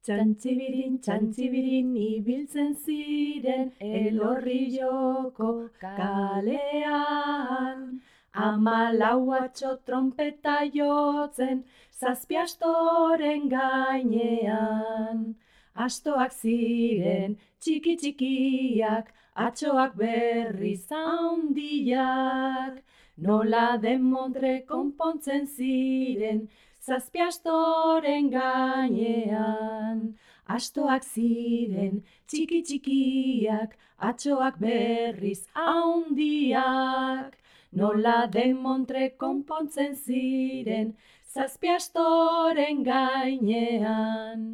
Txantzibirin ibiltzen ziren Elorrioko kalean. 14 atxo trompeta jotzen zazpi astoren gainean. Astoak ziren txiki txikiak, atxoak berriz handiak. Nola demontre konpontzen ziren zazpi astoren gainean. Astoak ziren txiki txikiak, atxoak berriz handiak. Nola demontre konpontzen ziren zazpi astoren gainean.